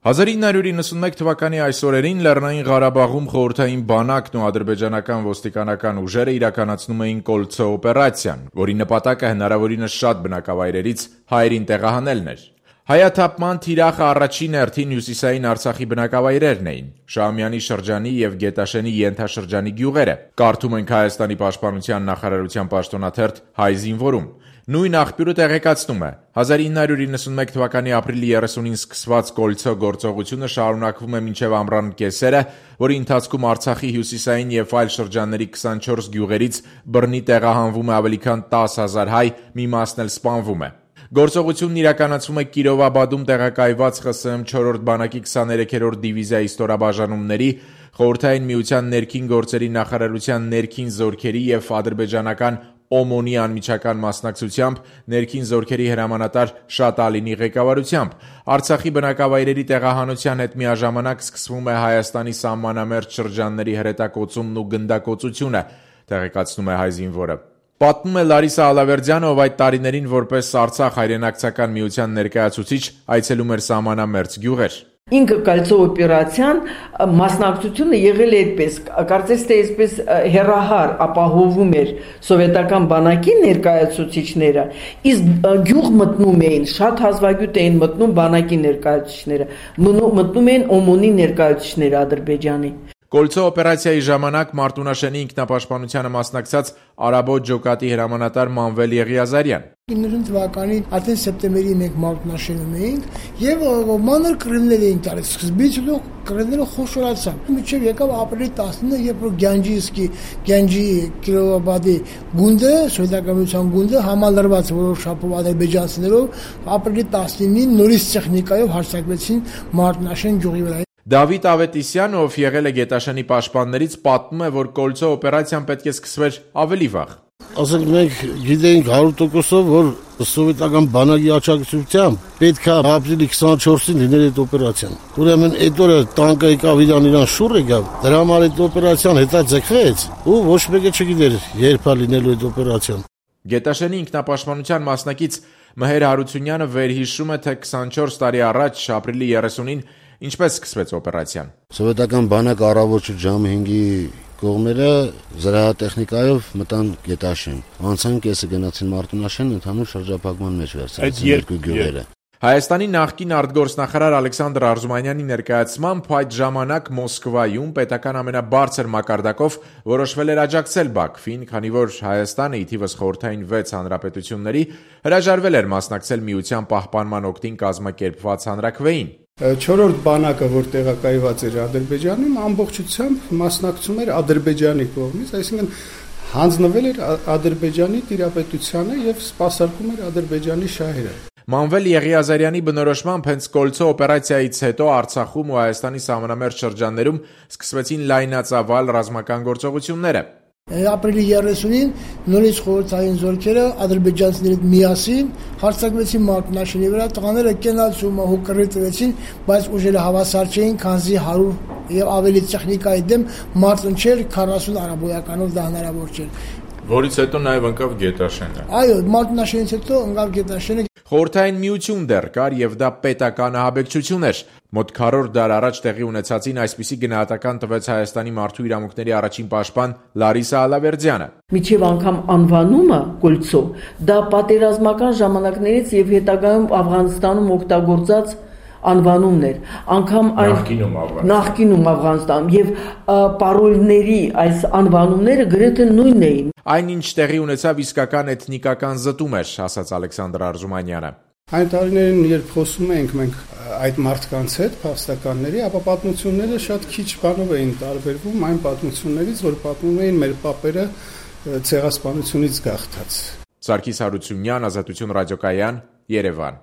1991 թվականի այս օրերին Լեռնային Ղարաբաղում խորհրդային բանակն ու ադրբեջանական ոստիկանական ուժերը իրականացնում էին Կոլցո օպերացիան, որի նպատակը հնարավորինս շատ բնակավայրերից հայերին տեղահանելն էր։ Հայաթափման թիրախը առաջին հերթին հյուսիսային Արցախի բնակավայրերն էին՝ Շահումյանի շրջանի և Գետաշենի ենթաշրջանի գյուղերը, կարդում ենք Հայաստանի պաշտպանության նախարարության պաշտոնաթերթ Հայ զինվորում։ Նույն աղբյուրը տեղեկացնում է. 1991 թվականի ապրիլի 30-ին սկսված Կոլցո գործողությունը շարունակվում է մինչև ամռան կեսերը, որի ընթացքում Արցախի հյուսիսային և այլ շրջանների 24 գյուղերից բռնի տեղահանվում է ավելի քան 10,000 հայ, մի մասն էլ սպանվում է։ Գործողությունն իրականացվում է Կիրովաբադում տեղակայված ԽՍՀՄ 4-րդ բանակի 23-րդ դիվիզիայի ստորաբաժանումների, Խորհրդային Միության ներքին գործերի նախարարության ներքին զորքերի և ադրբեջանական ՕՄՕՆ-ի անմիջական մասնակցությամբ, ներքին զորքերի հրամանատար Շատալինի ղեկավարությամբ։ Արցախի բնակավայրերի տեղահանության հետ միաժամանակ սկսվում է Հայաստանի սահմանամերձ շրջանների հրետակոծումն ու գնդակոծությունը, տեղեկացնում է Հայ զինվորը։ Պատմում է Լարիսա Ալավերդյանը, ով այդ տարիներին որպես Արցախ հայրենակցական միության ներկայացուցիչ այցելում էր սահմանամերձ գյուղեր։ Ինքը Կոլցո օպերացիան մասնակցությունը եղել է այդպես, կարծես թե այսպես հերահար ապահովում էր սովետական բանակի ներկայացուցիչները, իսկ գյուղ մտնում էին, շատ հազվագյուտ էին մտնում բանակի ներկայացուցիչները, մտնում էին ՕՄՕՆ-ի ներկայացուցիչները Ադրբեջանի։ Կոլցո օպերացիայի ժամանակ Մարտունաշենի ինքնապաշտպանությանը մասնակցած Արաբոտ ջոկատի հրամանատար Մանվել Եղիազարյան։ 90 թվականին արդեն սեպտեմբերի 1 Մարտունաշենում էինք եւ մանր կռիվներ էին տալիս։ Սկզբից կռիվները խոշորացան։ Մինչեւ եկավ ապրիլի 19-ը, երբ որ Գյանջի Կիրովաբադի գունդը, սովետական գունդը համալրված որոշ շապով ադրբեջանցիներով ապրիլի 19-ին նորից տեխնիկայով հարձակվեցին Մարտունաշեն գյուղի վրա։ Դավիթ Ավետիսյանը, ով եղել է Գետաշենի պաշտպաններից, պատմում է, որ Կոլցո օպերացիան պետք է սկսվեր ավելի վաղ։ Ասենք մենք գիտեինք 100%-ով, որ սովետական բանակի աջակցությամբ պետք է ապրիլի 24-ին լիներ այդ օպերացիան։ Ուրեմն այդ օրը տանկը եկավ իրան շուռ եկավ, դրա համար այդ օպերացիան հետաձգվեց ու ոչ մեկը չգիտեր երբ է լինելու այդ օպերացիան։ Գետաշենի ինքնապաշտպանության մասնակից Մհեր Հարությունյանը վերհիշում է, թե 24 տարի առաջ ապրիլի 30-ին ինչպես սկսվեց օպերացիան։ Սովետական բանակը առավոտ ժամը 5-ի կողմերը զրահատեխնիկայով մտան Գետաշեն։ Անցան կեսը գնացին Մարտունաշեն, ընդհանուր շրջափակման մեջ վերցրեցին երկու գյուղերը։ Հայաստանի նախկին արտգործնախարար Ալեքսանդր Արզումանյանի ներկայացմամբ այդ ժամանակ Մոսկվայում պետական ամենաբարձր մակարդակով որոշվել էր աջակցել Բաքվին, քանի որ Հայաստանը ի թիվս խորհրդային 6 հանրապետությունների հրաժարվել էր մասնակցել միության պահպանման օգտին կազմակերպված հանրաքվեին։ 4-րդ բանակը, որ տեղակայված էր Ադրբեջանում, ամբողջությամբ մասնակցում էր Ադրբեջանի կողմից, այսինքն հանձնվել էր Ադրբեջանի տիրապետությանը եւ սպասարկում էր Ադրբեջանի շահերը։ Մանվել Եղիազարյանի բնորոշմամբ հենց Կոլցո օպերացիայից հետո Արցախում ու Հայաստանի սահմանամերձ շրջաններում սկսվեցին լայնածավալ ռազմական գործողությունները։ Ապրիլի 30-ին նորից խորհրդային զորքերը ադրբեջանցիներից միասին հարձակվեցին Մարտունաշենի վրա, տղաները կենացում հոկրի տվեցին, բայց ուժերը հավասար չէին, քանզի 100 եւ ավելի տեխնիկայի դեմ մարտուն չէր, 40 արաբոյականով դա հնարավոր չէր։ Որից հետո նաև ընկավ Գետաշենը։ Այո, Մարտունաշենից հետո ընկավ Գետաշենը։ Խորհրդային միություն դեռ կար եւ դա պետական ահաբեկչություն էր։ Մոտ 100 դար առաջ տեղի ունեցածին այսպիսի գնահատական տվեց Հայաստանի մարդու իրավունքների առաջին պաշտպան Լարիսա Ալավերդյանը։ Միջև անգամ անվանումը Կոլցո դա պատերազմական ժամանակներից եւ հետագայում Աֆղանստանում օգտագործած անվանումներ, անգամ նախկինում Աֆղանստանում եւ պարոլների այս անվանումները գրեթե նույնն էին։ Այնինչ տեղի ունեցավ իսկական էթնիկական զտում էր, ասաց Ալեքսանդր Արզումանյանը։ Այն տարիներին, երբ խոսում էինք մենք այդ մարդկանց հետ, փաստականների, ապա պատմությունները շատ քիչ բանով էին տարբերվում այն պատմություններից, որ պատմում էին մեր պապերը ցեղասպանությունից գաղթած։ Սարգիս Հարությունյան, Ազատություն ռադիոկայան, Երևան։